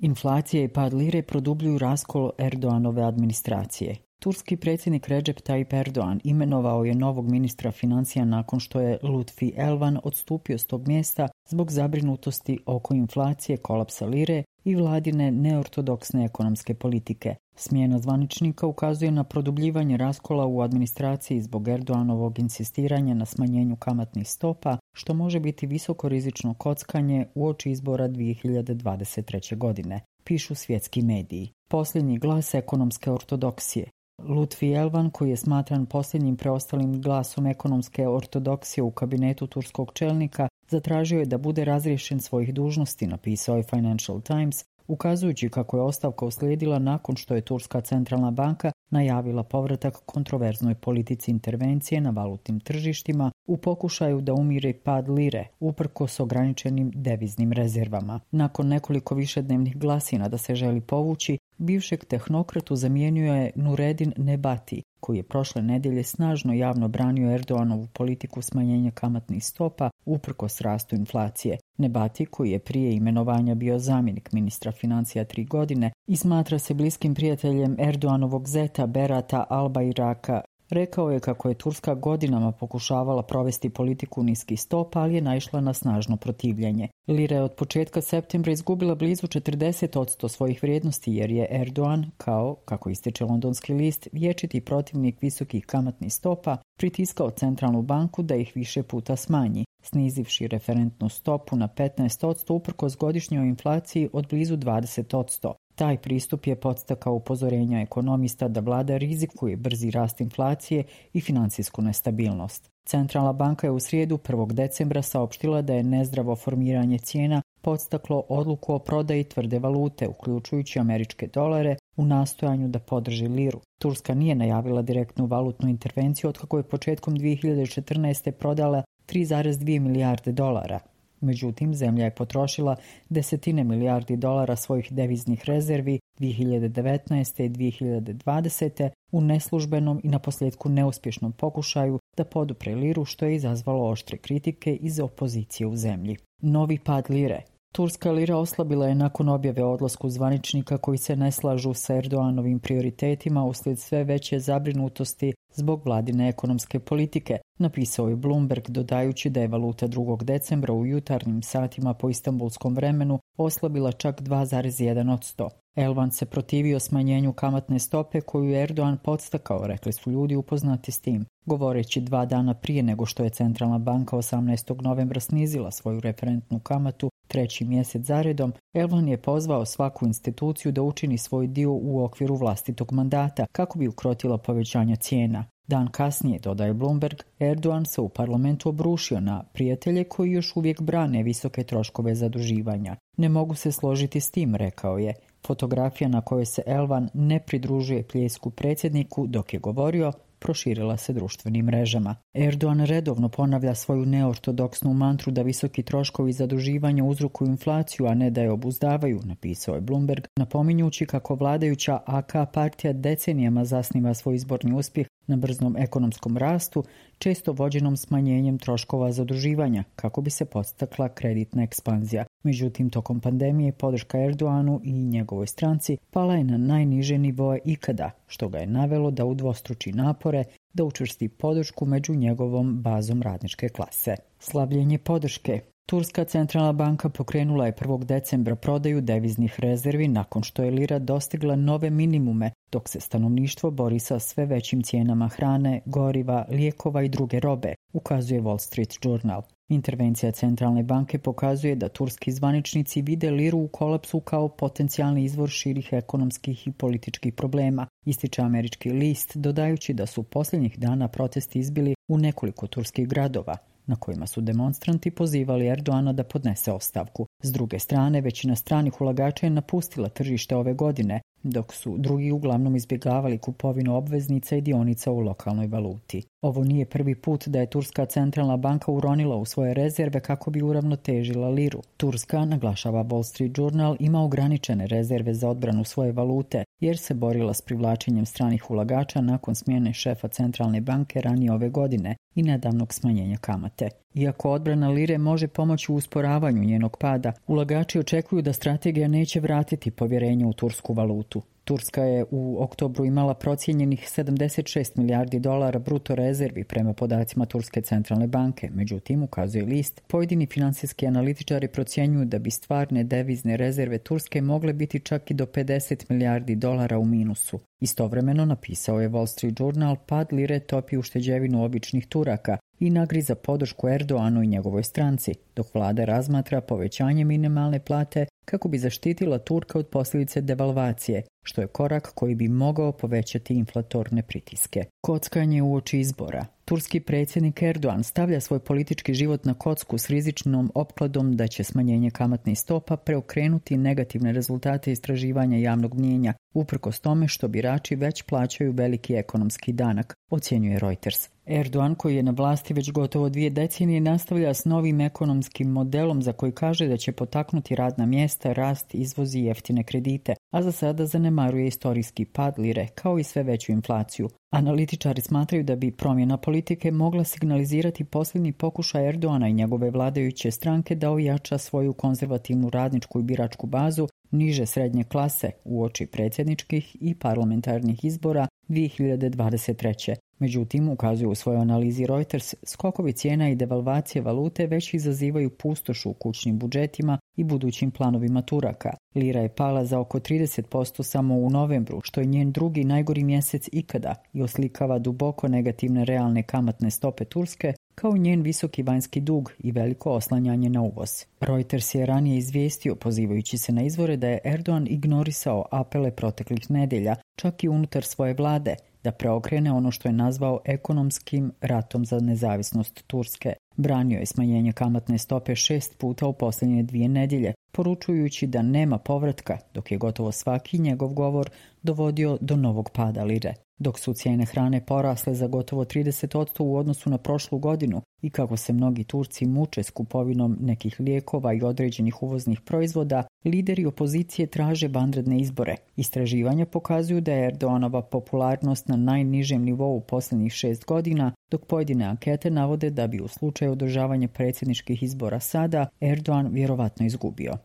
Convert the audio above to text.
Inflacija i pad lire produbljuju raskol Erdoganove administracije. Turski predsjednik Recep Tayyip Erdogan imenovao je novog ministra financija nakon što je Lutfi Elvan odstupio s tog mjesta zbog zabrinutosti oko inflacije, kolapsa lire i vladine neortodoksne ekonomske politike. Smjena zvaničnika ukazuje na produbljivanje raskola u administraciji zbog Erdoganovog insistiranja na smanjenju kamatnih stopa, što može biti visokorizično kockanje uoči izbora 2023. godine, pišu svjetski mediji. Posljednji glas ekonomske ortodoksije. Lutfi Elvan, koji je smatran posljednjim preostalim glasom ekonomske ortodoksije u kabinetu turskog čelnika, zatražio je da bude razriješen svojih dužnosti, napisao je Financial Times, ukazujući kako je ostavka uslijedila nakon što je Turska centralna banka najavila povratak kontroverznoj politici intervencije na valutnim tržištima u pokušaju da umiri pad lire, uprkos ograničenim deviznim rezervama. Nakon nekoliko višednevnih glasina da se želi povući, bivšeg tehnokratu zamijenio je Nureddin Nebati, koji je prošle nedjelje snažno javno branio Erdoganovu politiku smanjenja kamatnih stopa uprkos rastu inflacije. Nebati, koji je prije imenovanja bio zamjenik ministra financija 3 godine i smatra se bliskim prijateljem Erdoganovog zeta Berata Albayraka, rekao je kako je Turska godinama pokušavala provesti politiku niskih stopa, ali je naišla na snažno protivljenje. Lira je od početka septembra izgubila blizu 40% svojih vrijednosti jer je Erdogan, kao, kako ističe londonski list, vječiti protivnik visokih kamatnih stopa, pritiskao centralnu banku da ih više puta smanji, snizivši referentnu stopu na 15% uprkos godišnjoj inflaciji od blizu 20%. Taj pristup je podstakao upozorenja ekonomista da vlada rizikuje brzi rast inflacije i financijsku nestabilnost. Centralna banka je u srijedu 1. decembra saopštila da je nezdravo formiranje cijena podstaklo odluku o prodaji tvrde valute, uključujući američke dolare, u nastojanju da podrži liru. Turska nije najavila direktnu valutnu intervenciju otkako je početkom 2014. prodala 3,2 milijarde dolara. Međutim, zemlja je potrošila desetine milijardi dolara svojih deviznih rezervi 2019. i 2020. u neslužbenom i naposljetku neuspješnom pokušaju da podupre liru, što je izazvalo oštre kritike iz opozicije u zemlji. Novi pad lire. Turska lira oslabila je nakon objave o odlasku zvaničnika koji se ne slažu sa Erdoganovim prioritetima uslijed sve veće zabrinutosti zbog vladine ekonomske politike, napisao je Bloomberg, dodajući da je valuta 2. decembra u jutarnjim satima po istambulskom vremenu oslabila čak 2,1%. Elvan se protivio smanjenju kamatne stope koju je Erdogan podstakao, rekli su ljudi upoznati s tim. Govoreći 2 dana prije nego što je centralna banka 18. novembra snizila svoju referentnu kamatu 3. mjesec zaredom, Elvan je pozvao svaku instituciju da učini svoj dio u okviru vlastitog mandata kako bi ukrotila povećanja cijena. Dan kasnije, dodaje Bloomberg, Erdogan se u parlamentu obrušio na prijatelje koji još uvijek brane visoke troškove zaduživanja. Ne mogu se složiti s tim, rekao je. Fotografija na kojoj se Elvan ne pridružuje pljesku predsjedniku dok je govorio proširila se društvenim mrežama. Erdogan redovno ponavlja svoju neortodoksnu mantru da visoki troškovi zaduživanja uzrokuju inflaciju, a ne da je obuzdavaju, napisao je Bloomberg, napominjući kako vladajuća AK partija decenijama zasniva svoj izborni uspjeh na brznom ekonomskom rastu, često vođenom smanjenjem troškova zaduživanja, kako bi se podstakla kreditna ekspanzija. Međutim, tokom pandemije podrška Erdoganu i njegovoj stranci pala je na najniže nivoe ikada, što ga je navelo da udvostruči napore da učvrsti podršku među njegovom bazom radničke klase. Slabljenje podrške. Turska centralna banka pokrenula je 1. decembra prodaju deviznih rezervi nakon što je lira dostigla nove minimume, dok se stanovništvo bori sa sve većim cijenama hrane, goriva, lijekova i druge robe, ukazuje Wall Street Journal. Intervencija centralne banke pokazuje da turski zvaničnici vide liru u kolapsu kao potencijalni izvor širih ekonomskih i političkih problema, ističe američki list, dodajući da su posljednjih dana protesti izbili u nekoliko turskih gradova, na kojima su demonstranti pozivali Erdogana da podnese ostavku. S druge strane, većina stranih ulagača je napustila tržište ove godine, dok su drugi uglavnom izbjegavali kupovinu obveznica i dionica u lokalnoj valuti. Ovo nije prvi put da je Turska centralna banka uronila u svoje rezerve kako bi uravnotežila liru. Turska, naglašava Wall Street Journal, ima ograničene rezerve za odbranu svoje valute jer se borila s privlačenjem stranih ulagača nakon smjene šefa centralne banke ranije ove godine i nedavnog smanjenja kamate. Iako odbrana lire može pomoći u usporavanju njenog pada, ulagači očekuju da strategija neće vratiti povjerenje u tursku valutu. Turska je u oktobru imala procijenjenih 76 milijardi dolara bruto rezervi prema podacima Turske centralne banke. Međutim, ukazuje list, pojedini financijski analitičari procjenjuju da bi stvarne devizne rezerve Turske mogle biti čak i do 50 milijardi dolara u minusu. Istovremeno, napisao je Wall Street Journal, pad lire topi ušteđevinu običnih Turaka i nagriza podršku Erdoanu i njegovoj stranci, dok vlada razmatra povećanje minimalne plate kako bi zaštitila Turka od posljedice devalvacije, što je korak koji bi mogao povećati inflatorne pritiske. Kockanje uoči izbora. Turski predsjednik Erdogan stavlja svoj politički život na kocku s rizičnom opkladom da će smanjenje kamatnih stopa preokrenuti negativne rezultate istraživanja javnog mnijenja, uprkos tome što birači već plaćaju veliki ekonomski danak, ocjenjuje Reuters. Erdogan, koji je na vlasti već gotovo 2 decenije, nastavlja s novim ekonomskim modelom za koji kaže da će potaknuti radna mjesta, rast, izvoz i jeftine kredite, a za sada zanemaruje istorijski pad lire kao i sve veću inflaciju. Analitičari smatraju da bi promjena politike mogla signalizirati posljednji pokušaj Erdogana i njegove vladajuće stranke da ojača svoju konzervativnu radničku i biračku bazu niže srednje klase uoči predsjedničkih i parlamentarnih izbora 2023. Međutim, ukazuje u svojoj analizi Reuters, skokovi cijena i devalvacije valute već izazivaju pustoš u kućnim budžetima i budućim planovima Turaka. Lira je pala za oko 30% samo u novembru, što je njen drugi najgori mjesec ikada i oslikava duboko negativne realne kamatne stope Turske, kao njen visoki vanjski dug i veliko oslanjanje na uvoz. Reuters je ranije izvijestio, pozivajući se na izvore, da je Erdogan ignorisao apele proteklih nedjelja, čak i unutar svoje vlade, da preokrene ono što je nazvao ekonomskim ratom za nezavisnost Turske. Branio je smanjenje kamatne stope 6 puta u posljednje 2 nedjelje, poručujući da nema povratka, dok je gotovo svaki njegov govor dovodio do novog pada lire. Dok su cijene hrane porasle za gotovo 30% u odnosu na prošlu godinu i kako se mnogi Turci muče s kupovinom nekih lijekova i određenih uvoznih proizvoda, lideri opozicije traže vanredne izbore. Istraživanja pokazuju da je Erdoganova popularnost na najnižem nivou posljednjih 6 godina, dok pojedine ankete navode da bi u slučaju održavanja predsjedničkih izbora sada Erdogan vjerovatno izgubio.